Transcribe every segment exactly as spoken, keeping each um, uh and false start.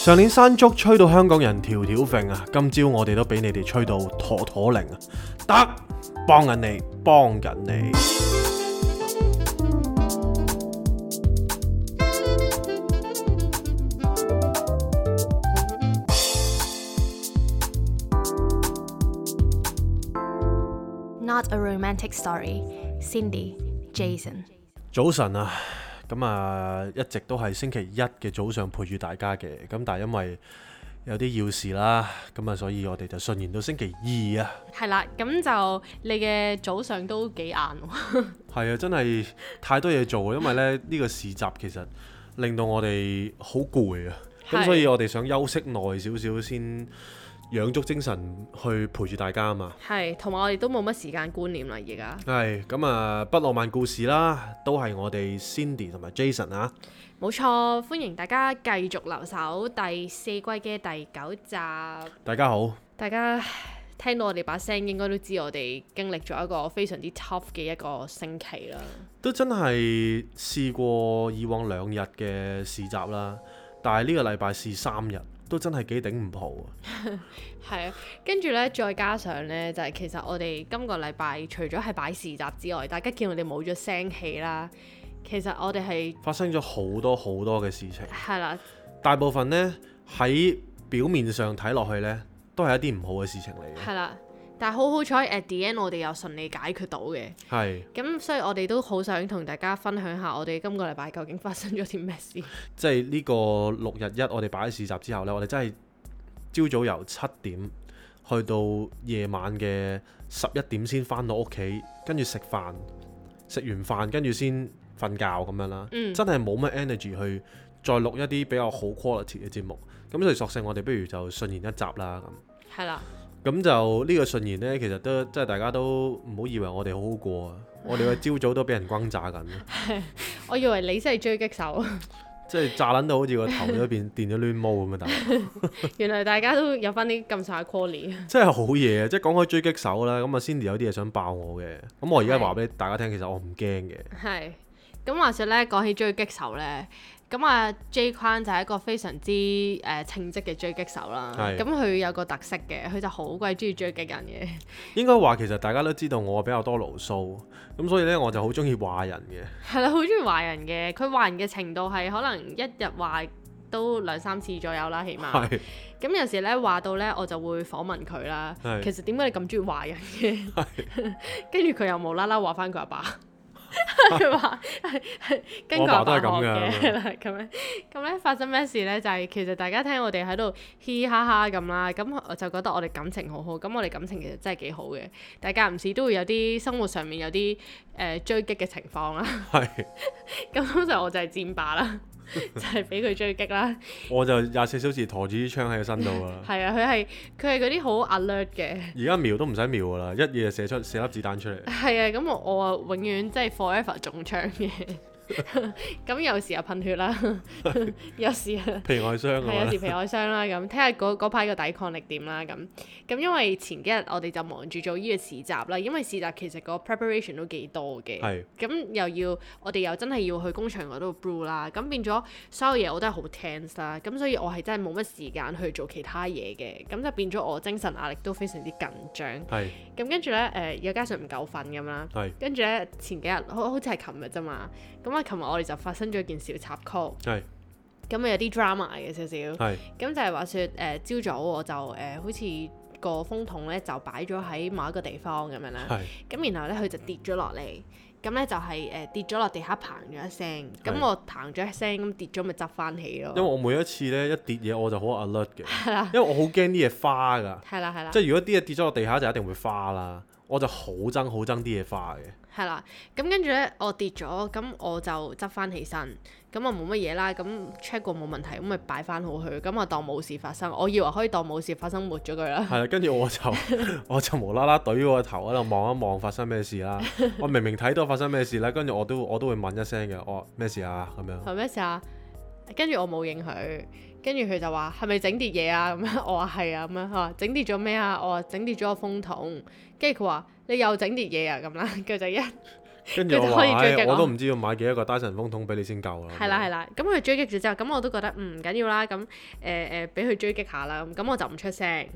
上年山竹吹到香港人條條揈啊，今朝我哋都俾你哋吹到妥妥零啊！得，幫緊你，幫緊你。Not a romantic story. Cindy, Jason。早晨啊！咁啊，一直都係星期一嘅早上陪住大家嘅，咁但係因為有啲要事啦，咁啊，所以我哋就順延到星期二啊。係啦，咁就你嘅早上都幾晏喎。係啊，真係太多嘢做，因為咧呢、呢個市集其實令到我哋好攰啊，咁所以我哋想休息耐少少先養足精神去陪住大家啊嘛。係，同埋我哋都冇乜時間觀念啦，而家。係，咁啊，不浪漫故事啦，都係我哋 Cindy 同埋 Jason 啊。冇錯，歡迎大家繼續留守第四季嘅第九集。大家好。大家聽到我哋把聲，應該都知我哋經歷咗一個非常之 tough 嘅一個星期啦。都真係試過以往兩日嘅市集啦，但係呢個禮拜試三日。都真係幾頂唔浦啊！係啊，跟住呢，再加上呢，就係、是、其實我哋今個禮拜除咗係擺市集之外，大家見我哋冇咗聲氣啦。其實我哋係發生咗好多好多嘅事情。係啦，大部分呢，喺表面上睇落去呢，都係一啲唔好嘅事情嚟嘅。係啦，但係好好彩 at the end 我哋又順利解決到嘅。係。咁所以我哋都好想同大家分享下我哋今個禮拜究竟發生咗啲咩事。即係呢個六日一我哋擺喺市集之後呢，我哋真係朝早由七點去到夜晚嘅十一點先返到屋企，跟住食飯，食完飯跟住先瞓覺咁樣啦。嗯、真係冇乜 energy 去再錄一啲比較好 quality 嘅節目。咁所以索性我哋不如就順延一集啦。咁。係啦。咁就呢個順延呢，其實都即係大家都唔好以為我哋好好過啊！我哋嘅朝早都俾人轟炸緊。我以為你真係追擊手，即係炸撚到好似個頭都變電咗攣毛咁啊！大佬，原來大家都有翻啲咁上下 quality。真係好嘢啊！即係講開追擊手啦，咁啊 Cindy 有啲嘢想爆我嘅，咁我而家話俾大家聽，其實我唔驚嘅。係。咁話說咧，講起追擊手咧。咁啊 J 框就係一個非常之誒、呃、稱職嘅追擊手啦。咁佢有個特色嘅，佢就好鬼中意追擊人嘅。應該話其實大家都知道我比較多牢騷，咁所以咧我就好中意話人嘅。係啦，好中意話人嘅。佢話人嘅程度係可能一日話都兩三次左右啦，起碼。係。咁有時咧話到咧，我就會訪問佢啦。係。其實點解你咁中意話人嘅？係。跟住佢又無啦啦話翻佢阿爸。佢話係跟佢阿爸學嘅啦，咁樣咁咧發生咩事咧？就係、是、其實大家聽我哋喺度嘻嘻哈哈咁啦，咁我就覺得我哋感情好好，咁我哋感情其實真係幾好嘅，但係間唔時都會有啲生活上面有啲誒、呃、追擊嘅情況啦。係，咁通常我就係戰霸啦。就係俾佢追擊啦，我就廿四小時陀住啲槍喺個身度啊。係啊，佢係佢係嗰啲好 alert 嘅。而家瞄都唔使瞄噶啦，一嘢就射出射粒子彈出嚟。係啊，咁我我啊永遠即係 forever 中槍嘅。咁有時又噴血啦，有時皮外傷啊，係有時皮外傷啦。咁睇下嗰排個抵抗力點啦。咁咁因為前幾日我哋就忙住做呢個市集啦，因為市集其實個 preparation 都幾多嘅。係。咁又要我哋又真係要去工場嗰度 brew 啦，咁變咗所有嘢我都係好 tense 啦。咁所以我係真係冇乜時間去做其他嘢嘅，咁就變咗我精神壓力都非常之緊張。係。咁跟住咧誒，又加上唔夠瞓咁啦。係。跟住咧前幾日好好似係琴日啫嘛，咁。因為琴日我哋就發生咗件小插曲，係咁啊有啲 drama 嘅少少，係咁就係話説誒朝早我就誒、呃、好似個風筒咧就擺咗喺某一個地方咁樣啦，係咁然後咧佢就跌咗落嚟，咁咧就係、是、誒、呃、跌咗落地下嘭咗一聲，咁我嘭咗一聲咁跌咗咪執翻起咯。因為我每一次咧一跌嘢我就好 alert 嘅，係啦，因為我好驚啲嘢花㗎，係啦係啦，即係如果啲嘢跌咗落地下就一定會花啦，我就好憎好憎啲嘢花嘅。係啦，咁跟住咧，我跌咗，咁我就執翻起身，咁我冇乜嘢啦，咁 check 過冇問題，咁咪擺翻好佢，咁我當冇事發生，我以為可以當冇事發生抹咗佢啦。係啦，跟住我就我就無啦啦懟個頭喺度望一望發生咩事啦。我明明睇到發生咩事啦，跟住我都我都會問一聲嘅，我咩事啊咁樣。係咩事啊？跟住我冇應佢，跟住佢就話係咪整跌嘢啊？咁樣我話係啊，咁樣佢話整跌咗咩啊？我話整跌咗個風筒，跟住佢話你又整跌嘢啊咁啦，佢就一跟住我話，唉，我都唔知要買幾多個 Dyson 風筒俾你先夠啦。係啦係啦，咁佢追擊咗之後，咁我都覺得唔緊要啦，咁誒誒俾佢追擊下啦，咁我就唔出聲。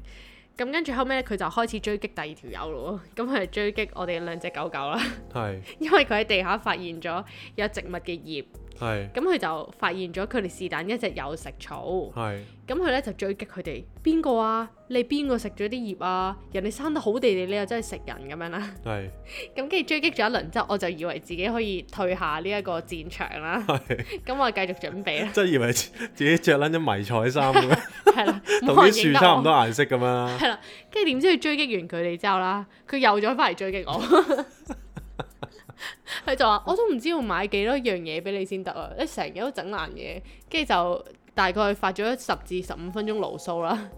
咁跟住後尾咧，佢就開始追擊第二條友咯，咁佢係追擊我哋兩隻狗狗啦。係。因為佢喺地下發現咗有植物嘅葉。係。咁佢就發現咗佢哋是但一隻有食草。係。咁佢咧就追擊佢哋，邊個啊？你邊個食咗啲葉啊？人哋生得好地地，你又真係食人咁樣啦。係。咁跟住追擊咗一輪之後，我就以為自己可以退下呢一個戰場啦。係。咁我繼續準備啦。即係以為自己着撚咗迷彩衫咁樣。係啦。同啲樹差唔多顏色咁樣啦。係啦。跟住點知佢追擊完佢哋之後啦，佢又再翻嚟追擊我。佢就話：我都唔知要買幾多樣嘢俾你先得啊！你成日都整爛嘢，跟住就大概發咗十至十五分鐘牢騷啦。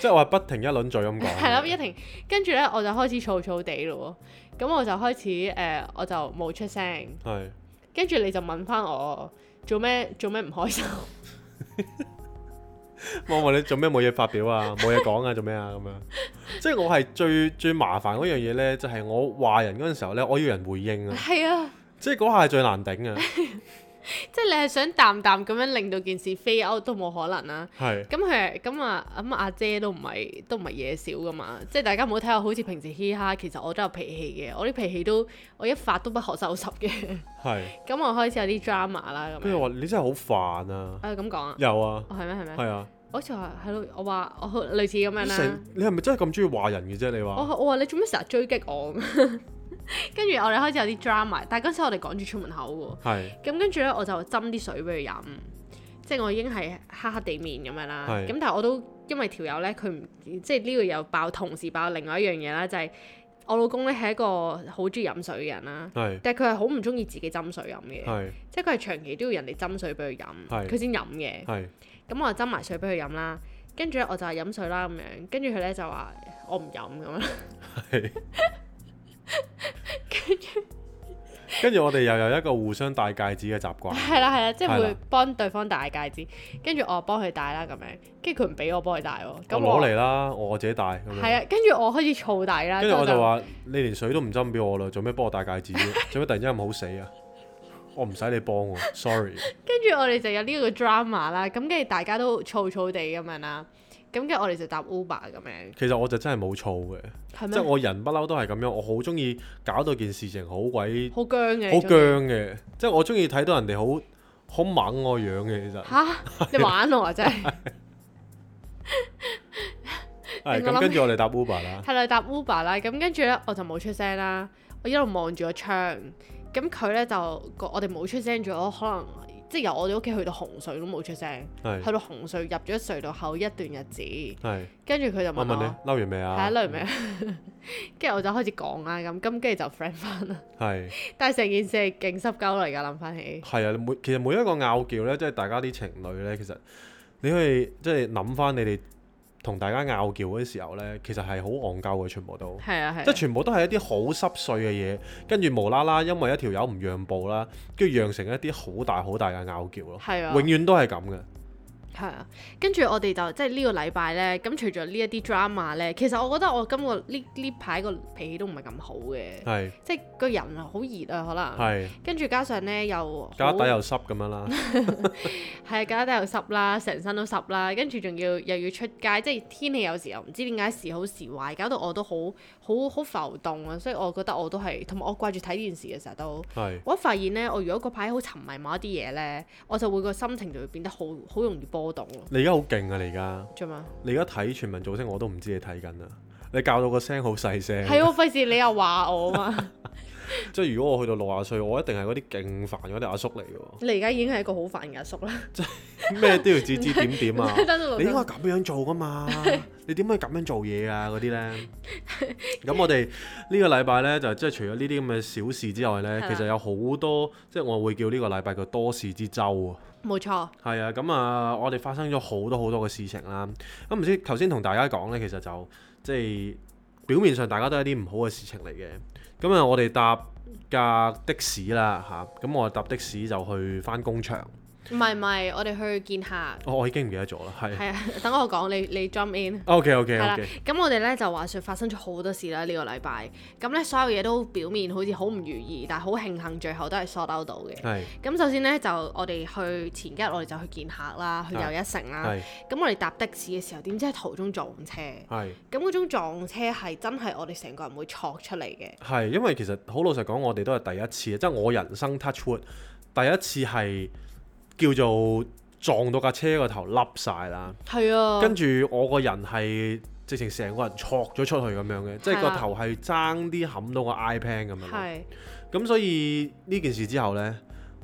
即係我係不停一輪嘴咁講。係啦，一停，跟住咧我就開始燥燥地咯喎，咁我就開始誒、呃，我就冇出聲。係。跟住你就問翻我做咩做咩唔開心？我問你做咩冇嘢發表啊，冇嘢講啊，做咩啊咁樣？即係我係最最麻煩嗰樣嘢呢，就係、是、我話人嗰陣時候呢，我要人回應啊。係啊，即係嗰下係最難頂啊。即係你係想淡淡咁樣令到件事飛歐都冇可能啦。係。咁佢咁啊咁阿姐都唔係都唔係嘢少噶嘛，即係大家唔好睇我好似平時嘻哈，其實我都有脾氣嘅，我啲脾氣都我一發都不可收拾嘅。係。咁我開始有啲 drama 啦咁。跟住話你真係好煩啊！啊咁講啊？有啊。係咩係咩？係啊。好似話係咯，我話我類似咁樣啦。你係咪真係咁中意話人嘅啫？你話我我話你做咩成日追擊我？跟住我哋開始有啲 drama， 但係嗰陣時我哋趕住出門口喎。係。咁跟住咧，我就斟啲水俾佢飲，即係我已經係黑黑地面咁樣啦。係。咁但係我都因為條友咧，佢唔即係呢個又爆，同時爆另外一樣嘢啦，就係、是、我老公咧係一個好中意飲水嘅人啦。係。但係佢係好唔中意自己斟水飲嘅。係。即係佢係長期都要人哋斟水俾佢飲，佢先飲嘅。係。咁我就斟埋水俾佢飲啦，跟住咧我就係飲水啦咁樣，跟住佢咧就話我唔飲咁樣。係。跟住，跟住我哋又有一個互相戴戒指嘅習慣。係啦係啦，即係會幫對方戴戒指，跟住我幫佢戴啦咁樣，跟住佢唔俾我幫佢戴喎。咁我攞嚟啦，我自己戴。係啊，跟住我開始燥底啦。跟住我就話：你連水都唔斟俾我啦，做咩幫我戴戒指？做咩突然之間咁好死啊？我唔使你幫我，sorry。跟住我哋就有呢個 drama 啦，咁跟住大家都燥燥地咁樣啦，咁跟住我哋就搭 Uber 咁樣。其實我就真係冇燥嘅，即係我人不嬲都係咁樣，我好中意搞到件事情好鬼好僵嘅，好僵嘅，即係我中意睇到人哋好好猛我樣嘅，其實嚇你玩我啊真係。係咁，跟住我哋搭 Uber 啦。係啦，搭 Uber 啦，咁跟住咧我就冇出聲啦，我一路望住個窗。咁佢咧就我哋冇出聲咗，可能即係由我哋屋企去到紅隧都冇出聲，是去到紅隧入咗隧道後一段日子，跟住佢就問我：問你嬲完未啊？係啊，嬲完未啊？跟住我就開始講啦，咁咁跟住就 friend 翻啦。係是，但係成件事係勁濕鳩嚟㗎，諗翻起。係啊，每其實每一個拗撬咧，即係大家啲情侶咧，其實你可以即係諗翻你哋同大家拗撬嗰啲時候呢，其實係好戇鳩嘅，全部都，係啊係啊，即係全部都係一啲好濕碎嘅嘢，跟住無啦啦，因為一條友唔讓步啦，跟住釀成一啲好大好大嘅拗撬咯，係啊，永遠都係咁嘅。係啊，跟住我哋就即係呢個禮拜呢，咁除咗呢一啲 drama 呢，其實我覺得我今個呢呢排個脾氣都唔係咁好嘅，係，即係個人啊好熱啊可能，係，跟住加上呢又腳底又濕咁樣啦，係啊腳底又濕啦，成身都濕啦，跟住仲要又要出街，即係天氣有時候唔知點解時好時壞，搞到我都好好好浮動啊，所以我覺得我都係，同埋我掛住睇電視嘅時候都，係，我一發現呢，我如果嗰排好沉迷某一啲嘢呢，我就會個心情就會變得好好容易波。你而家好勁啊！你而家做咩？你而家睇全民造星，我都唔知你睇緊啊！你教到個聲好細聲，係喎，費事你又話我啊嘛！即係如果我去到六十歲，我一定係嗰啲勁煩嗰啲阿叔嚟嘅喎。你而家已經係一個好煩嘅阿叔啦！即係咩都要指指點點啊！你應該咁樣做噶嘛？你點可以咁樣做嘢啊？嗰啲咧，咁我哋呢個禮拜咧就即係除咗呢啲咁嘅小事之外咧，其實有好多即係我會叫呢個禮拜叫多事之週啊！冇錯，係啊，咁啊，我哋發生咗好多好多嘅事情啦。咁唔知頭先同大家講呢，其實就即係表面上大家都係啲唔好嘅事情嚟嘅。咁啊，我哋搭架的士啦嚇，咁我搭的士就去返工場。唔係唔係，我哋去見客。哦，我已經唔記得咗啦，係。係啊，等我講，你你 jump in。OK OK 係啦 OK。咁我哋咧就話説發生咗好多事啦呢個禮拜，咁咧所有嘢都表面好似好唔如意，但係好慶幸最後都係 sort out 到嘅。係。咁首先咧就我哋去前幾日我哋就去見客啦，去又一城啦。係。咁我哋搭的士嘅時候，點知喺途中撞車。係。咁嗰種撞車係真係我哋成個人會挫出嚟嘅。係，因為其實好老實講，我哋都係第一次，即係我人生 touch wood 第一次係叫做撞到架車個頭凹晒啦。係啊。跟住我個人係直情成個人挫咗出去咁樣嘅，即係個頭係爭啲冚到個 iPad 咁樣。係。咁所以呢件事之後呢，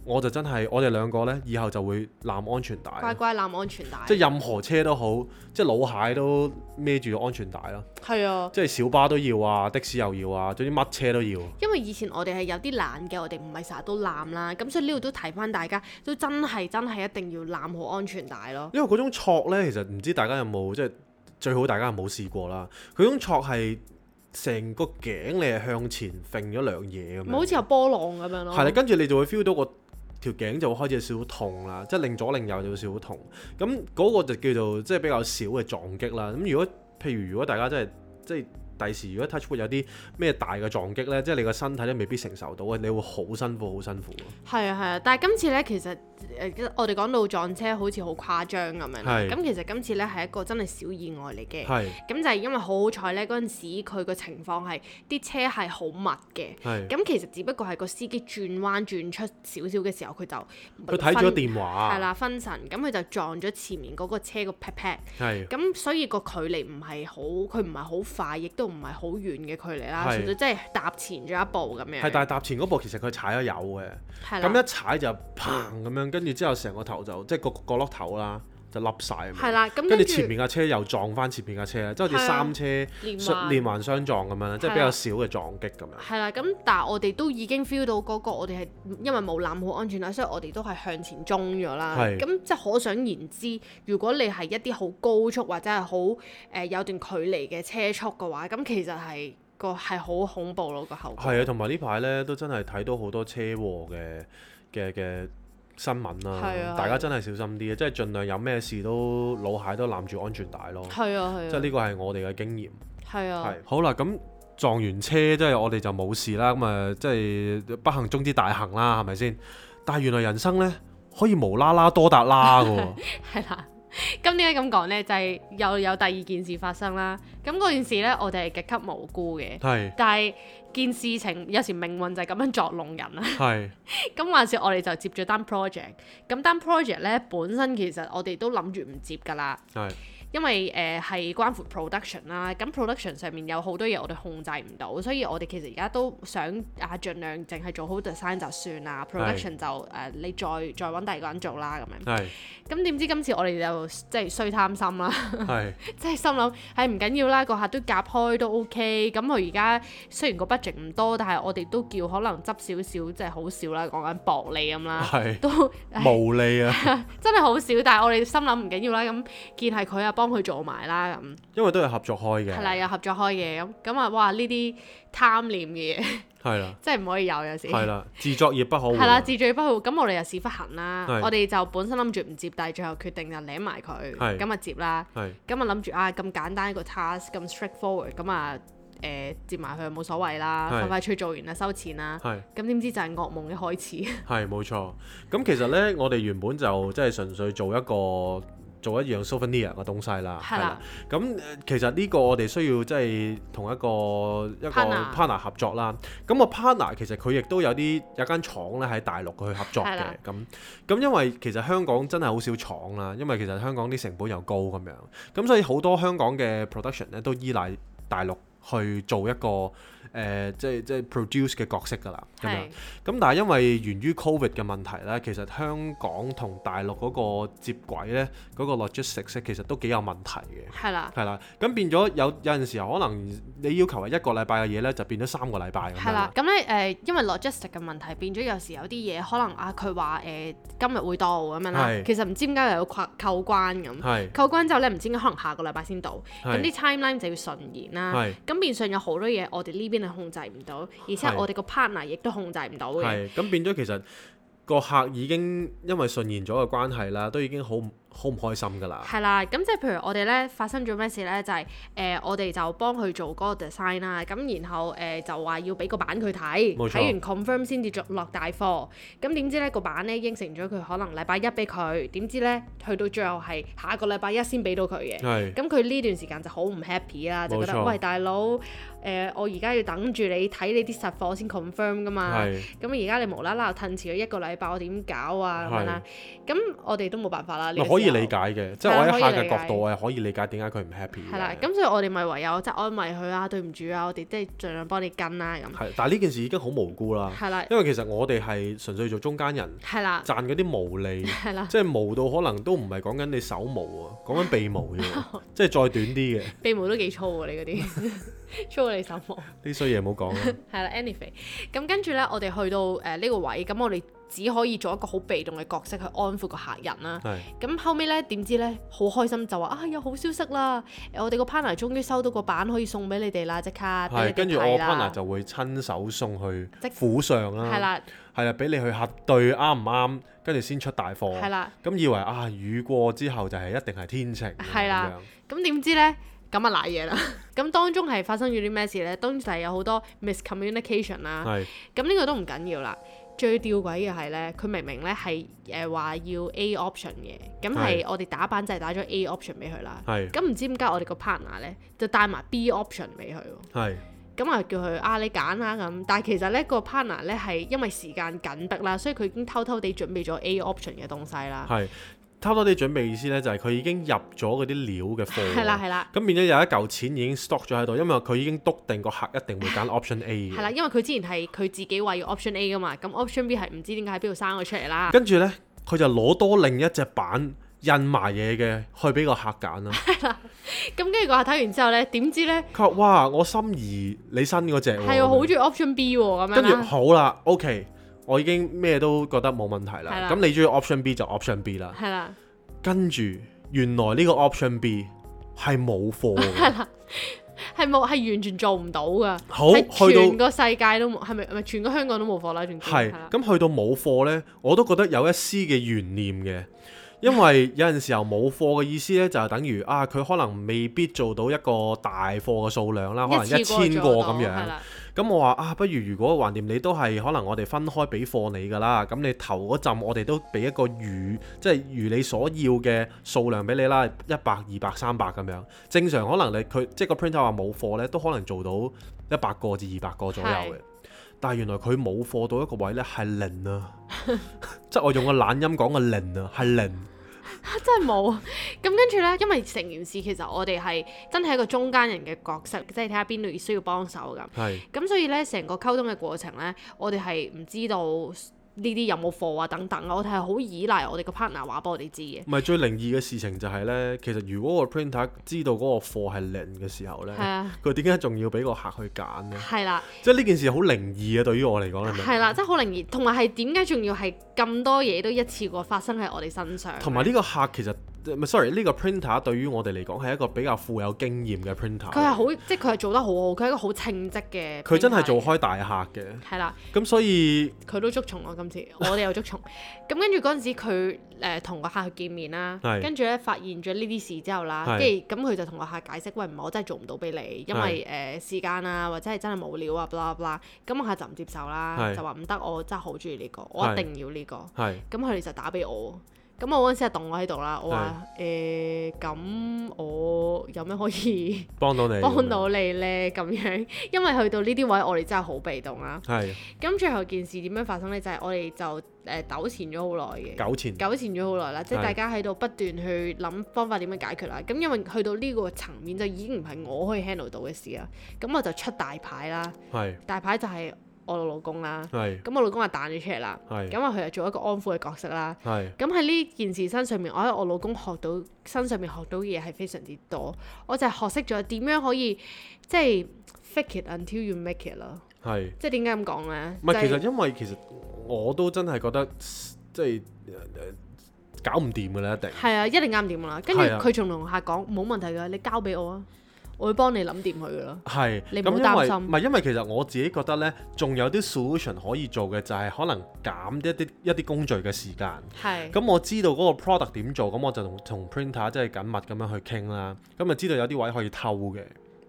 我就真係我哋兩個呢，以後就會攬安全帶。乖乖攬安全帶。即係任何車都好，即係老蟹都孭住安全帶咯。係啊。即係小巴都要啊，的士又要啊，總之乜車都要。因為以前我哋係有啲懶嘅，我哋唔係成日都攬啦，咁所以呢度都提翻大家，都真係真係一定要攬好安全帶咯。因為嗰種挫呢，其實唔知大家有冇即係最好大家有冇試過啦。佢種挫係成個頸你係向前揈咗兩嘢咁樣。好似有波浪咁樣咯。係啦，跟住你就會 feel 到個條頸就會開始有少少痛啦，即係擰左擰右就會少少痛。咁嗰個就叫做即係比較少嘅撞擊啦。咁如果譬如如果大家真係即係第時如果 touch wood 有啲咩大嘅撞擊呢，即係你個身體都未必承受到嘅，你會好辛苦好辛苦。係啊係啊，但係今次呢，其實誒、呃、我哋講到撞車好似好誇張咁樣，咁其實今次呢係一個真係小意外嚟嘅。咁就係因為好好彩呢，嗰陣時佢個情況係啲車係好密嘅。咁其實只不過係個司機轉彎轉出少少嘅時候，佢就佢睇咗電話。係啦，分神，咁佢就撞咗前面嗰個車個 pat pat。咁所以個距離唔係好，佢唔係好快，亦都唔係好遠嘅距離啦，純粹即係踏前咗一步咁樣。係，但係踏前嗰步其實佢踩咗油嘅，咁一踩就砰咁樣，跟住之後成個頭就即係個角落頭啦，就凹晒。係啦，咁跟住前面架車又撞翻前面架車，即係好似三車連環相撞咁樣，即係比較少嘅撞擊咁樣。係啦，咁但係我哋都已經 feel 到嗰個我哋係因為冇攬好安全帶，所以我哋都係向前衝咗啦。咁即係可想而知，如果你係一啲好高速或者係好誒有段距離嘅車速嘅話，咁其實係個係好恐怖咯，個後果。係啊，同埋呢排咧都真係睇到好多車禍嘅嘅嘅新聞啦，啊、大家真係小心啲，即係盡量有咩事都老蟹都攬住安全帶咯。係啊係啊，即係呢個係我哋嘅經驗。係啊。係好啦，咁撞完車即係我哋就冇事啦，咁啊即係不幸中之大幸啦，係咪先？但係原來人生咧可以無啦啦多達啦㗎喎。係啦。咁點解咁講呢？就係、是、又有第二件事發生啦。咁嗰件事呢，我哋係極級無辜嘅。係。但係件事情有時命運就係咁樣作弄人啦。係。咁話說我哋就接咗單 project。咁單 project 呢，本身其實我哋都諗住唔接㗎啦。係。因為誒係、呃、關乎 production 啦，咁 production 上面有好多嘢我哋控制唔到，所以我哋其實而家都想啊盡量淨係做好 design 就算啦 ，production 就誒、呃、你再再揾第二個人做啦咁樣。係。咁點知今次我哋就即係衰貪心啦，係。即係心諗係唔緊要啦，個客都夾開都 OK。咁佢而家雖然個 budget 唔多，但係我哋都叫可能執少少，即係好少啦，講緊薄利咁啦，係。都無利啊！真係好少，但係我哋心諗唔緊要啦，咁見係佢啊幫佢做埋啦咁，因為都係合作開嘅，係啦，有合作開嘅咁咁啊！哇，呢啲貪念嘅嘢係啦，真係唔可以有有時係啦，自作孽不可活係啦，自作孽不可活。咁我哋又屎忽痕啦，我哋就本身諗住唔接，但係最後決定就舐埋佢，咁啊接啦，咁啊諗住啊咁簡單一個 task 咁 straightforward，咁啊誒接埋佢冇所謂啦，快快脆做完啦收錢啦，咁點知就係噩夢嘅開始。係冇錯，咁其實咧我哋原本就即係純粹做一個。做一樣 souvenir 嘅東西啦，係啦。咁其實呢個我哋需要即係同一個一個 partner 合作啦。咁個 partner 其實佢亦都有啲有間廠咧喺大陸去合作嘅。咁咁因為其實香港真係好少廠啦，因為其實香港啲成本又高咁樣，咁所以好多香港嘅 production 咧都依賴大陸去做一個。誒、呃、即係即係 produce 嘅角色㗎啦，咁樣咁但係因為源於 Covid 嘅問題咧，其實香港同大陸嗰個接軌咧，嗰、嗰個 logistics 其實都幾有問題嘅。係啦，係啦，咁變咗有有陣時候可能你要求係一個禮拜嘅嘢咧，就變咗三個禮拜咁樣。係啦，咁咧誒，因為 logistics 嘅問題變咗有時有啲嘢可能啊，佢話誒今日會到咁樣啦，其實唔知點解又要扣扣關咁，係扣關之後咧唔知點解可能下個禮拜先到，咁啲 timeline 就要順延啦，咁變相有好多嘢我哋呢邊控制唔到，而且我哋個 partner 亦都控制唔到嘅。係，咁變咗其實個客已經因為順延咗嘅關係啦，都已經好好唔開心㗎啦。係啦，咁即係譬如我哋咧發生咗咩事咧，就係、是、誒、呃、我哋就幫佢做嗰個 design 啦，咁然後誒、呃、就話要俾個版佢睇，冇錯，睇完 confirm 先至落大貨。咁點知咧個版咧應承咗佢可能禮拜一俾佢，點知咧去到最後係下個禮拜一先俾到佢嘅。係。咁佢呢段時間就好唔 happy 啦，就覺得冇錯，喂大佬誒、呃、我而家要等住你睇你啲實貨先 confirm 㗎嘛。係。咁而家你無啦啦又褪遲咗一個禮拜，我點搞啊咁樣啦？咁我哋都冇辦法啦。可以理解嘅，即係我喺客嘅角度，我係可以理解點解佢唔 happy 嘅。係啦，咁所以我哋咪唯有即係安慰佢啊，對唔住啊，我哋即係盡量幫你跟啦咁。係，但係呢件事已經好無辜啦。係啦，因為其實我哋係純粹做中間人，係啦，賺嗰啲毛利，係啦，即係毛到可能都唔係講緊你手毛喎，講緊鼻毛啫喎，即係再短啲嘅。鼻毛都幾粗喎，你嗰啲粗過你手毛。呢衰嘢唔好講啦。係啦 ，anyway，咁跟住咧，我哋去到誒呢、呃這個位，咁我哋只可以做一個好被動嘅角色去安撫個客人啦。咁後尾咧，點知咧好開心就話啊有好消息啦！誒我哋個 partner 終於收到個版可以送俾你哋啦，即刻俾你哋睇啦。跟住我 partner 就會親手送去府上啦。係啦，係啦，俾你去核對啱唔啱，跟住先出大貨。係啦。咁以為啊雨過之後就係一定係天晴。係啦。咁點知咧？咁啊賴嘢啦！咁當中係發生咗啲咩事咧？當然就係有好多 miscommunication 啦。係。咁呢個都唔緊要啦。最吊詭嘅係咧，佢明明咧係誒話要 A option 嘅，咁係我哋打版就係打咗 A option 俾佢啦。係。咁唔知點解我哋個 partner 咧就帶埋 B option 俾佢喎。係。咁啊叫佢啊你揀啦咁，但係其實咧個 partner 咧係因為時間緊迫啦，所以佢已經偷偷地準備咗 A option 嘅東西啦。係。偷偷地準備意思咧，就係佢已經入咗嗰啲料嘅貨。係啦係啦。咁變咗有一嚿錢已經 stock 咗喺度，因為佢已經篤定個客一定會揀 option A 嘅。係啦，因為佢之前係佢自己話要 option A 噶嘛，咁 option B 係唔知點解喺邊度生咗出嚟啦。跟住咧，佢就攞多另一隻版印埋嘢嘅去俾個客揀啦。係啦。咁跟住個客睇完之後咧，點知咧？佢話：哇！我心儀你新嗰隻喎。係啊，好中意 option B 喎咁樣。跟住好啦 ，OK，我已經咩都覺得冇問題啦。咁你中意 option B 就 option B 啦。係啦。跟住，原來呢個 option B 係冇貨嘅，係啦，係冇，係完全做唔到噶。好，去到全個世界都冇，係咪？係咪全個香港都冇貨啦？仲係咁去到冇貨呢，我都覺得有一絲嘅懸念嘅，因為有陣時候冇貨嘅意思呢，就係等於啊，佢可能未必做到一個大貨嘅數量啦，可能一千個咁樣。咁我話啊，不如如果橫掂你都係可能我哋分開俾貨你㗎啦，咁你頭嗰陣我哋都俾一個如即係如你所要嘅數量俾你啦，一百、二百、三百咁樣。正常可能你佢即係個 printer 話冇貨呢，都可能做到一百個至二百個左右嘅。但係原來佢冇貨到一個位呢，係零啊，即係我用個懶音講個零啊，係零。真係冇，咁跟住呢，因為成件事其實我哋係真係一個中間人嘅角色，即係睇下邊度需要幫手咁。係。咁所以呢，成個溝通嘅過程呢，我哋係唔知道呢啲有冇貨啊等等，我哋係好依賴我哋個 partner 話俾我哋知嘅。唔係最靈異嘅事情就係呢，其實如果個 printer 知道嗰個貨係零嘅時候呢，佢點解仲要俾個客去揀呢？係啦，即係呢件事好靈異啊！對於我嚟講係咪？係啦，即係好靈異，同埋係點解仲要係咁多嘢都一次過發生喺我哋身上？同埋呢個客其實。sorry 呢個 printer 對於我哋嚟講係一個比較富有經驗嘅 printer。佢係好，即係佢係做得好好，佢係一個好稱職嘅。佢真係做開大客嘅。係啦。咁所以佢都捉蟲咯，今次我哋又捉蟲。咁跟住嗰陣時佢誒同個客去見面啦，跟住咧發現咗呢啲事之後啦，跟住咁佢就同個客解釋，喂唔係我真係做唔到俾你，因為誒、呃、時間啊或者係真係冇料啊，blah blah。咁個客就唔接受啦，就話唔得，我真係好中意呢個，我一定要呢個。係。咁佢哋就打俾我。咁我嗰陣時係凍我喺度啦，我話誒咁我有咩可以幫到你幫到你咧咁樣，因為去到呢啲位我哋真係好被動啦。係。咁最後件事點樣發生咧？就係、是、我哋就誒糾纏咗好耐嘅。糾纏。糾纏咗好耐啦，即係大家喺度不斷去諗方法點樣解決啦。咁因為去到呢個層面就已經唔係我可以 handle 到嘅事啦。咁我就出大牌啦。係。大牌就係、是。我老公啦，咁我老公就彈咗出嚟啦，咁啊佢就做一個安撫嘅角色啦，咁喺呢件事身上面，我喺我老公學到身上面學到嘅嘢係非常之多，我就係學識咗點樣可以即係 fake it until you make it 啦，即係點解咁講咧？唔係其實因為其實我都真係覺得即係搞唔掂㗎啦，一定係啊，一定啱掂㗎啦，跟住佢仲同客講冇問題㗎，你交俾我啊。我會幫你諗掂佢噶咯。係，你唔好擔心。唔係因為其實我自己覺得呢，仲有啲 solution 可以做嘅，就係可能減一啲一啲工序嘅時間。係。咁我知道嗰個 product 點做，咁我就同同 printer 即係緊密咁樣去傾啦。咁就知道有啲位可以偷嘅，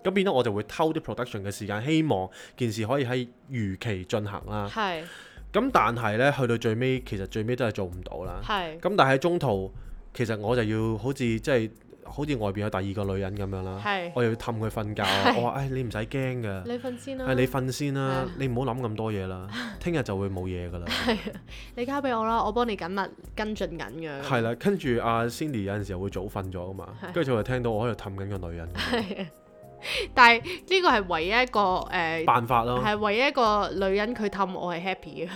咁變咗我就會偷啲 production 嘅時間，希望件事可以喺如期進行啦。係。咁但係呢，去到最尾，其實最尾都係做唔到啦。係。咁但係喺中途，其實我就要好似即係好似外邊有第二個女人咁樣啦。係。我又要氹佢瞓覺。我話：誒，你唔使驚㗎。你瞓先啦。係你瞓先啦，你唔好諗咁多嘢啦。聽日就會冇嘢㗎啦。係啊，你交俾我啦，我幫你緊密跟進緊嘅。係啦，跟住阿 Cindy 有陣時候會早瞓咗㗎嘛，跟住就聽到我喺度氹緊個女人。係啊。但係呢個係唯一一個誒、呃、辦法咯，係唯一一個女人佢氹我係 happy 嘅，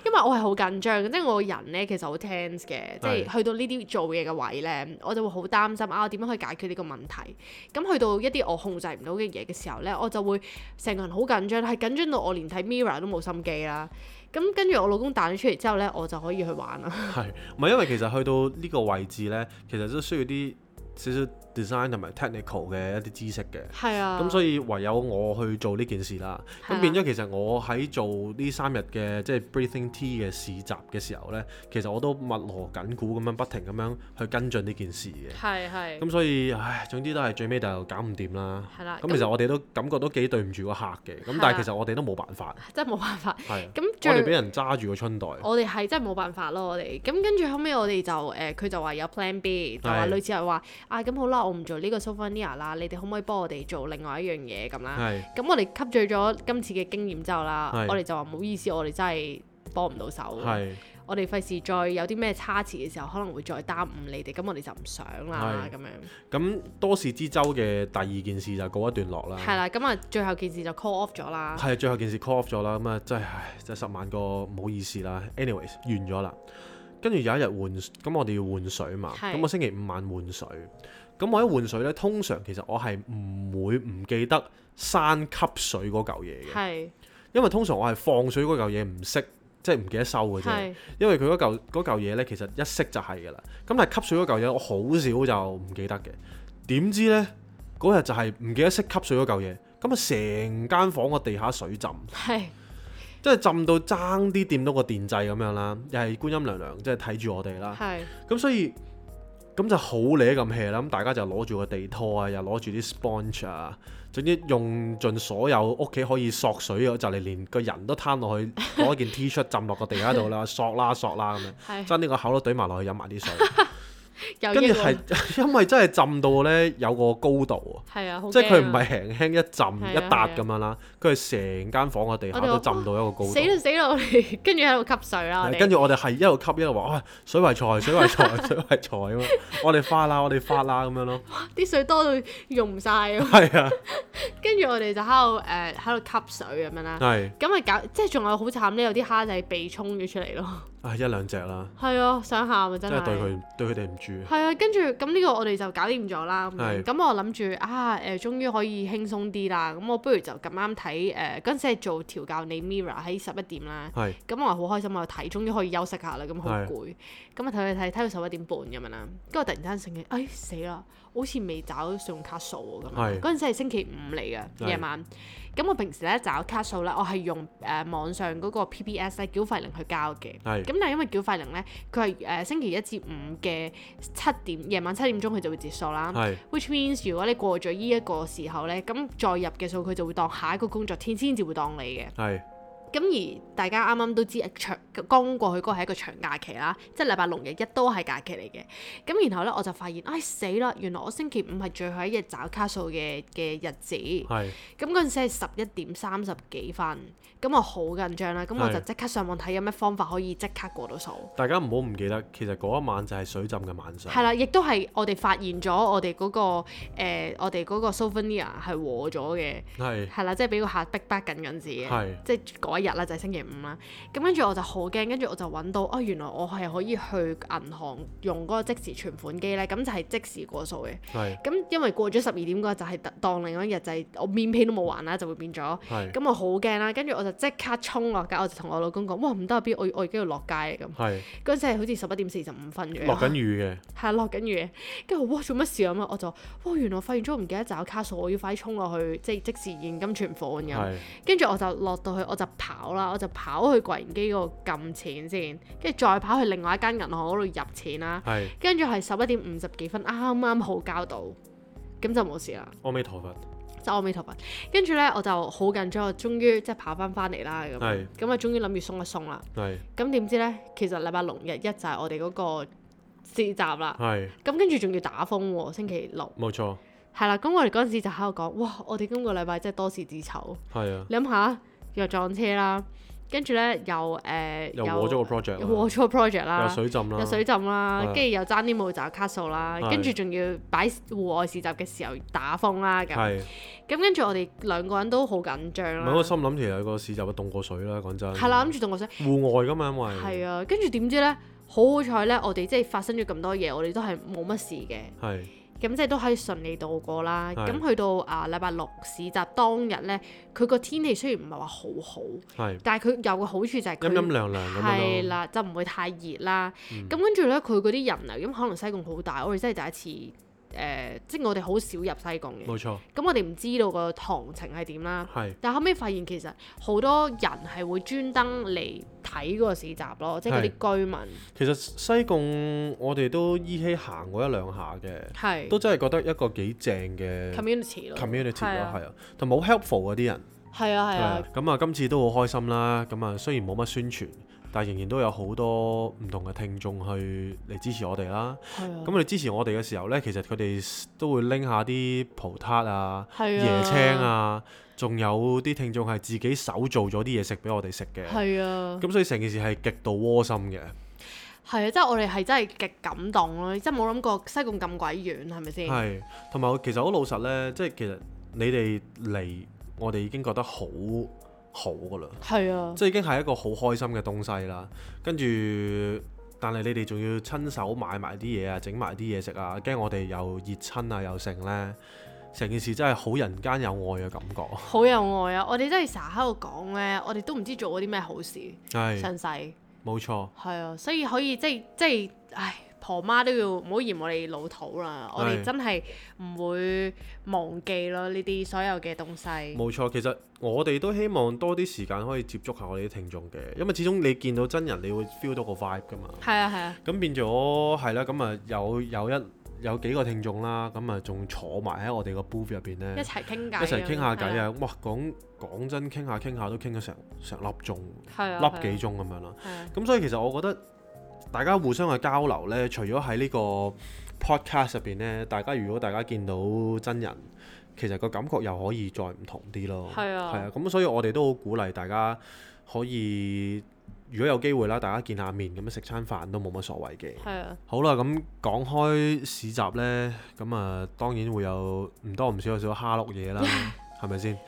因為我係好緊張，即係我個人咧其實好 tense 嘅，即係去到呢啲做嘢嘅位咧，我就會好擔心啊，我點樣可以解決呢個問題？咁去到一啲我控制唔到嘅嘢嘅時候咧，我就會成個人好緊張，係緊張到我連睇 Mirror 都冇心機啦。咁跟住我老公彈咗出嚟之後咧，我就可以去玩啦。係，唔係因為其實去到呢個位置咧，其實都需要啲少少 design 同埋 technical 嘅一啲知識嘅，係啊，咁所以唯有我去做呢件事啦。咁、啊、變咗其實我喺做呢三日嘅即係 breathing tea 嘅市集嘅時候呢，其實我都密鑼緊鼓咁樣不停咁樣去跟進呢件事嘅。係係。咁所以唉，總之都係最尾就搞唔掂啦。係啦、啊。咁其實我哋都感覺都幾對唔住個客嘅，咁、啊、但係其實我哋都冇辦法。真係冇辦法。係。咁我哋俾人揸住個春袋。我哋係真係冇辦法咯，我哋。咁跟住後尾我哋就誒，佢、呃、就話有 plan B， 就話類似係話啊，咁好啦，我唔做呢個 souvenir 啦，你哋可唔可以幫我哋做另外一樣嘢咁啦？咁我哋吸取咗今次嘅經驗之後啦，我哋就話唔好意思，我哋真係幫唔到手。我哋費事再有啲咩差池嘅時候，可能會再耽誤你哋，咁我哋就唔想啦咁樣。咁多事之秋嘅第二件事就告一段落啦。係啦，咁啊最後件事就 call off 咗啦。係，最後件事 call off 咗啦，咁啊真係唉，真係十萬個唔好意思啦。anyways 完咗啦，跟住有一日換，咁我哋要換水嘛，咁我星期五晚換水。咁我一換水咧，通常其實我係唔會唔記得閂吸水嗰嚿嘢嘅，係因為通常我係放水嗰嚿嘢唔熄，即係唔記得收嘅啫。因為佢嗰嚿嗰嚿嘢咧，其實一熄就係㗎啦。咁但係吸水嗰嚿嘢，我好少就唔記得嘅。點知咧嗰日就係唔記得熄吸水嗰嚿嘢，咁啊成間房個地下水浸，係即係浸到爭啲掂到個電掣咁樣啦，又係觀音娘娘即係睇住我哋啦。係咁所以。咁就好攣咁 hea 啦，咁大家就攞住個地拖啊，又攞住啲 sponge 啊，總之用盡所有屋企可以索水嘅，就嚟連個人都攤落去攞件 T 恤浸落個地下度啦，索啦索啦咁樣，將呢個口都懟埋落去飲埋啲水。跟住係因為真係浸到咧有個高度啊，啊即係佢唔係輕輕一浸、啊、一笪咁樣啦，佢係成間房個地下都浸到一個高度。死啦死啦！我哋跟住喺度吸水啦。跟住我哋係一路吸一路話：哇！水為財，水為財，水為財咁樣。我哋發啦，我哋發啦咁樣咯。啲水多到用唔晒啊！係啊。跟住我哋就喺度誒喺度吸水咁樣啦。係。咁啊搞，即係仲有好慘咧，有啲蝦仔被沖咗出嚟咯。啊，一兩隻啦。係啊，想喊啊真係。真係對佢對佢哋唔住。係啊，跟住咁呢個我哋就搞掂咗啦。咁咁我諗住啊誒，終於可以輕鬆啲啦。咁我不如就咁啱睇誒嗰陣時係做調教你 Mirror 喺十一點啦。係。咁我好開心，我睇終於可以休息下啦。咁好攰。咁啊睇睇睇睇到十一點半咁樣啦。跟住我突然間醒起，哎死啦！好似未找信用卡數喎咁樣。嗰陣時係星期五嚟嘅夜晚。咁我平時咧找卡數咧，我係用誒、呃、網上嗰個 P P S 咧繳費靈去交嘅。係。咁但係因為繳費靈咧，佢係誒星期一至五嘅七點夜晚七點鐘佢就會截數啦。係。Which means 如果你過咗呢一個時候咧，咁再入嘅數佢就會當下一個工作天先至會當你嘅。係。咁而大家啱啱都知長剛過去嗰個係一個長假期啦，即係禮拜六日一都係假期嚟嘅。咁然後咧我就發現，唉死啦！原來我星期五係最後一日找卡數嘅嘅日子。係。咁嗰陣時係十一點三十幾分，咁我好緊張啦。咁我就即刻上網睇有咩方法可以即刻過到數。大家唔好唔記得，其實嗰一晚就係水浸嘅晚上。係啦，亦都係我哋發現咗我哋嗰、嗰個、呃、我哋嗰個 souvenir 係和咗嘅。係。係啦，即係俾個客逼逼緊緊自己。係。即係嗰一日啦，就係、是、星期五啦。咁跟住我就好驚，跟住我就揾到哦，原來我係可以去銀行用嗰個即時存款機咧，咁就係即時過數嘅。咁係因為過咗十二點嗰日就係當另一日就係我面 pay 都冇還啦，就會變咗。係咁我好驚啦，跟住我就即刻衝落街，我就同我老公講：哇唔得啊，B，我我而家要落街啊咁。係嗰陣時係好似十一點四十五分嘅。落緊雨嘅。係啊，落緊雨嘅。跟住我哇做乜事咁啊？我就哇原來發現咗我唔記得找卡數，我要快啲衝落去即係即時現金存款咁。係跟住我就落到去，我就跑啦，我就跑去櫃員機嗰度撳錢先，跟住再跑去另外一間銀行嗰度入錢啦。係跟住係十一點五十幾分，啱啱好交到，咁就冇事啦。阿彌陀佛。即係阿彌陀佛。跟住咧我就好緊張，我終於即係跑翻翻嚟啦咁。係咁啊，終於諗住鬆一鬆啦。係咁點知咧，其實禮拜六日一就係我哋嗰個市集啦。係咁跟住仲要打風喎，星期六。冇錯。係啦，咁我哋嗰陣時就喺度講，哇！我哋今個禮拜真係多事之秋。係啊。你諗下，又撞車啦，跟住咧又誒、呃、又禍咗個 project 啦。又禍咗個 project 啦。有水浸啦。有水浸啦，係跟住又爭啲冇找卡數啦，係跟住仲要擺戶外市集嘅時候打風啦咁。係。咁跟住我哋兩個人都好緊張唔係啦。我心諗其實個市集凍過水啦，講真。係啦，諗住凍過水。戶外㗎嘛，因為。係啊，跟住點知咧，好好彩咧，我哋即係發生咗咁多嘢，我哋都係冇乜事嘅。係。咁即係都可以順利度過啦。係咁去到啊禮拜六市集當日咧，佢個天氣雖然唔係話好好，係。但係佢有個好處就係佢陰陰涼涼咁樣咯。係啦，就唔會太熱啦。嗯咁跟住咧，佢嗰啲人流，咁可能西貢好大，我哋真係第一次誒、呃，即係我哋好少入西貢嘅。冇錯。咁我哋唔知道個行情係點啦。係。但後尾發現其實好多人係會專登嚟睇嗰個市集咯，即係嗰啲居民。其實西貢我哋都依稀行過一兩下嘅，係都真係覺得一個幾正嘅 community 咯 community 咯，係啊係啊，同埋好 helpful 嗰啲人。係啊係啊。咁啊，今次都好開心啦。咁啊，雖然冇乜宣傳，但係仍然都有好多唔同嘅聽眾去嚟支持我哋啦。係啊。咁佢哋支持我哋嘅時候呢，其實佢哋都會拎下啲葡撻啊、係啊椰青啊，仲有啲聽眾係自己手做咗啲嘢食俾我哋食嘅。係啊。咁所以成件事係極度窩心嘅。係啊，即係我哋係真係極感動咯，即係冇諗過西貢咁鬼遠，係咪先？係，同埋其實好老實呢，即係其實你哋嚟，我哋已經覺得好好噶啦。係啊。即係已經係一個好開心嘅東西啦。跟住，但係你哋仲要親手買埋啲嘢啊，整埋啲嘢食啊，驚我哋又熱親啊，又剩呢。成件事真係好人間有愛嘅感覺。好有愛啊！我哋真係成日喺度講呢，我哋都唔知做過啲咩好事。係。上世。冇錯。係啊，所以可以即係即係，唉，婆媽都要唔好嫌我哋老土啦。我哋真係唔會忘記咯呢啲所有嘅東西。冇錯，其實我哋都希望多啲時間可以接觸下我哋啲聽眾嘅，因為始終你見到真人，你會 feel 到個 vibe 㗎嘛。係啊係啊。咁變咗係啦，咁啊有有一有幾個聽眾啦，咁啊仲坐埋喺我哋個 booth 入邊咧，一齊傾偈，一齊傾下偈啊！啊！哇，講講真，傾下傾下都傾咗成成粒鐘，係啊，粒幾鐘咁樣啦。係啊。咁所以其實我覺得大家互相嘅交流咧，除咗喺呢個 podcast 入邊咧，大家如果大家見到真人，其實個感覺又可以再唔同啲咯。係啊。係啊，咁所以我哋都好鼓勵大家可以。如果有機會啦，大家見下面咁樣食餐飯都冇乜所謂嘅。係啊。好啦，咁講開市集呢，咁啊當然會有唔多唔少有少少蝦碌嘢啦，係咪先？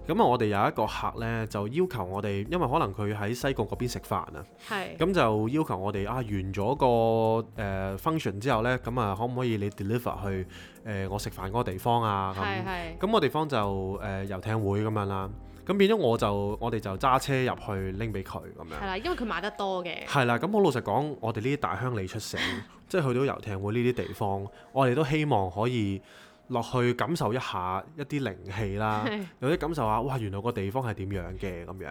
咁啊，我哋有一個客呢，就要求我哋，因為可能佢喺西貢嗰邊食飯啊，係。咁就要求我哋啊完咗個誒、呃、function 之後呢，咁啊可唔可以你 deliver 去誒、呃、我食飯嗰個地方啊？咁係係。咁個地方就誒、呃、遊艇會咁樣啦。咁變咗我就我哋就揸車入去拎俾佢咁樣。係啦，因為佢買得多嘅。係啦，咁好老實講，我哋呢啲大鄉里出城，即係去到遊艇會呢啲地方，我哋都希望可以落去感受一下一啲靈氣啦，有啲感受下，哇！原來個地方係點樣嘅咁樣。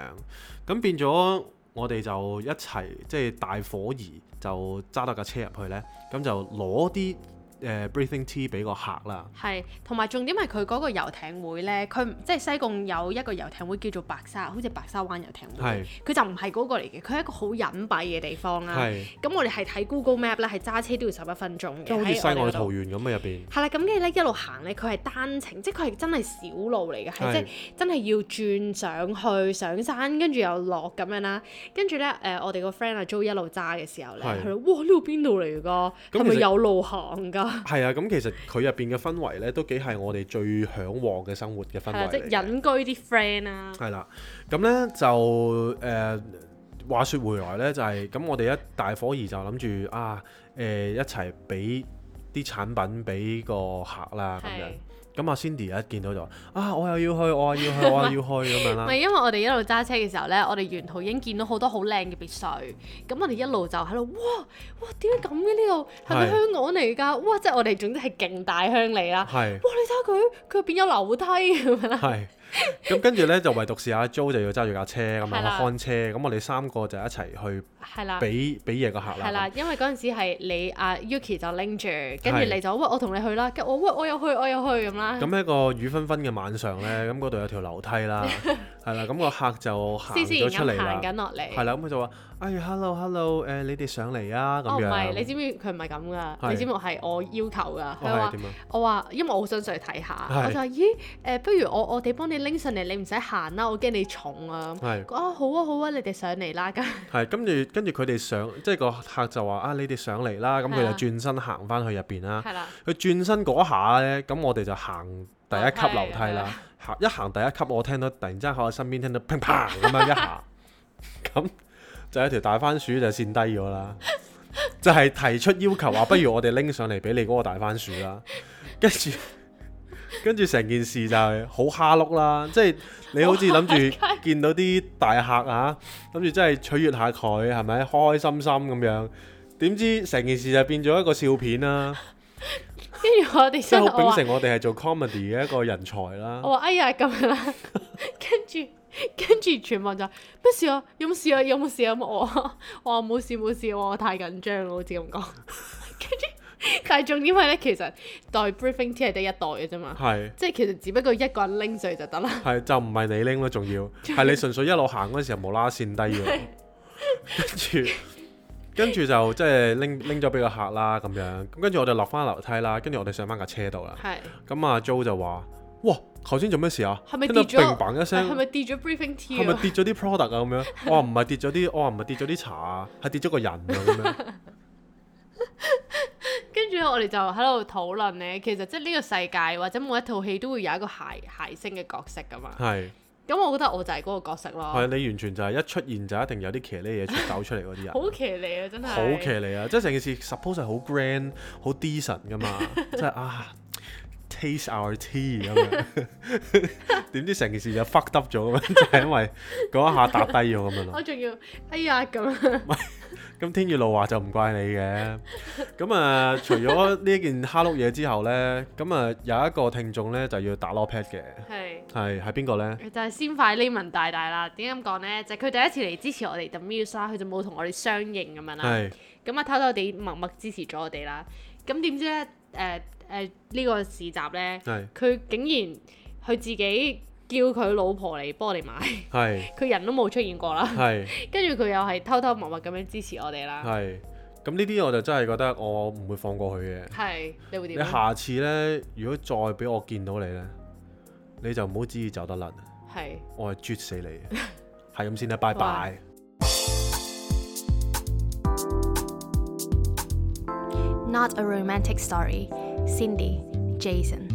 咁變咗我哋就一齊即係大伙兒就揸到架車入去呢，咁就攞啲。誒、uh, breathing tea 俾個客啦，係，同埋重點係佢嗰個遊艇會咧，佢即係西貢有一個遊艇會叫做白沙，好似白沙灣遊艇會，佢就唔係嗰個嚟嘅，佢係一個好隱蔽嘅地方啦。咁我哋係睇 Google Map 咧，係揸車都要十一分鐘嘅，即係好似世外桃源咁嘅入邊。係啦，咁跟住咧一路行咧，佢係單程，即係佢係真係小路嚟嘅，係即係真係要轉上去上山，跟住又落咁樣啦。跟住咧誒，我哋個 friend 阿 Jo 一路揸嘅時候咧，佢話：哇，呢度邊度嚟㗎？係咪有路行㗎？啊。係啊，咁其實佢入邊嘅氛圍咧，都幾係我哋最嚮往嘅生活嘅氛圍嚟嘅。即係隱居啲 friend 啦。係啦，咁咧就誒、呃、話説回來咧，就係、是、咁，我哋一大伙兒就諗住啊誒、呃、一齊俾啲產品俾個客啦咁樣。咁阿 Cindy 一見到就話啊，我又要去，我又要去，我又要去咁樣啦。唔係因為我哋一路揸車嘅時候咧，我哋沿途已經見到好多好靚嘅別墅，咁我哋一路就喺度哇哇點解咁嘅呢度係咪香港嚟㗎？哇！即係我哋總之係勁大鄉里啦。係。哇！你睇下佢佢入邊有樓梯咁樣啦。係。咁跟住咧就唯獨是阿 Jo 就要揸住架車咁樣看車，咁我哋三個就一齊去俾俾嘢個客啦。係啦，因為嗰陣時係你阿 Yuki 就拎住，跟住你就喂我同你去啦，跟住我喂我又去我又去咁啦。咁喺個雨紛紛嘅晚上咧，咁嗰度有條樓梯啦，係啦，咁個客就行咗出嚟啦，行緊落嚟。係啦，咁佢就話：哎，hello hello，誒你哋上嚟啊咁樣。哦唔係，你知唔知佢唔係咁噶？你知唔知係我要求㗎？佢話我話，因為我好想上去睇下，我就話咦誒，不如我我哋幫你拎上嚟，你唔使行啦，我驚你重啊。係。啊好啊好啊，你哋上嚟啦咁。係，跟住跟住佢哋上，即係個客就話啊，你哋上嚟啦，咁佢就轉身行翻去入邊啦。係啦。佢轉身嗰下咧，咁我哋就行第一級樓梯啦。行一行第一級，我聽到突然之間喺我身邊聽到砰砰咁樣一下，咁就有條大番薯就跣低咗啦。就係提出要求話，不如我哋拎上嚟俾你嗰個大番薯啦。跟住。跟住成件事就係好蝦碌啦，即係你好似諗住見到啲大客啊，諗住真係取悅下佢，係咪開開心心咁樣？點知成件事就變咗一個笑片啦。跟住我哋即係好秉承我哋係做 comedy 嘅一個人才啦。我話哎呀咁樣啦，跟住跟住全部就咩事啊？有冇事啊？有冇事啊？我話我話冇事冇事，我太緊張啦，好似咁講。跟住。但係重點係咧，其實袋 briefing tea 係得一袋嘅啫嘛，係即係其實只不過一個人拎上就得啦。係就唔係你拎咯，仲要係你純粹一路行嗰陣時候無啦啦跣低咗，跟住跟住就即係拎拎咗俾個客啦咁樣，咁跟住我哋落翻樓梯啦，跟住我哋上翻架車度啦。係咁阿 Jo 就話：哇，頭先做咩事啊？係咪跌咗？砰砰一聲，係咪跌咗 briefing tea？係咪跌咗啲 product 啊？咁樣我話唔係跌咗啲，我話唔係跌咗啲茶啊，係跌咗個人啊咁樣。跟住我哋就喺度討論呢，其實即係呢個世界或者每一套戲都會有一個諧諧星嘅角色噶嘛。係。咁我覺得我就係嗰個角色咯。係，你完全就係一出現就一定有啲騎呢嘢出走出嚟嗰啲人。好騎呢啊！真係。好騎呢啊！即係成件事 suppose 係好 grand、好 decent 噶嘛，即係啊 taste our tea 咁樣。點知成件事就 fucked up 咗咁樣，就係因為嗰一下打低咗咁樣咯。我仲要哎呀咁樣。咁天雨路話就唔怪你嘅，咁啊除咗呢件蝦碌嘢之後呢，咁啊有一個聽眾呢就要打攞 pad 嘅，係係係邊個呢？就係先快 Lemon 大大啦。點解咁講呢？就係、是、佢第一次嚟支持我哋 The Muse 啦，佢就冇同我哋相應咁樣啦。係咁啊，偷偷地默默支持咗我哋啦。咁點知呢？誒誒呢個市集呢，佢竟然佢自己叫佢老婆嚟幫我哋買，係佢人都冇出現過啦，係跟住佢又係偷偷默默咁樣支持我哋啦，係咁呢啲我就真係覺得我唔會放過佢嘅，係你會點？你下次呢，如果再俾我見到你呢，你就唔好旨意走得甩，係我係啜死你，係咁先啦，拜拜。Not a romantic story. Cindy, Jason.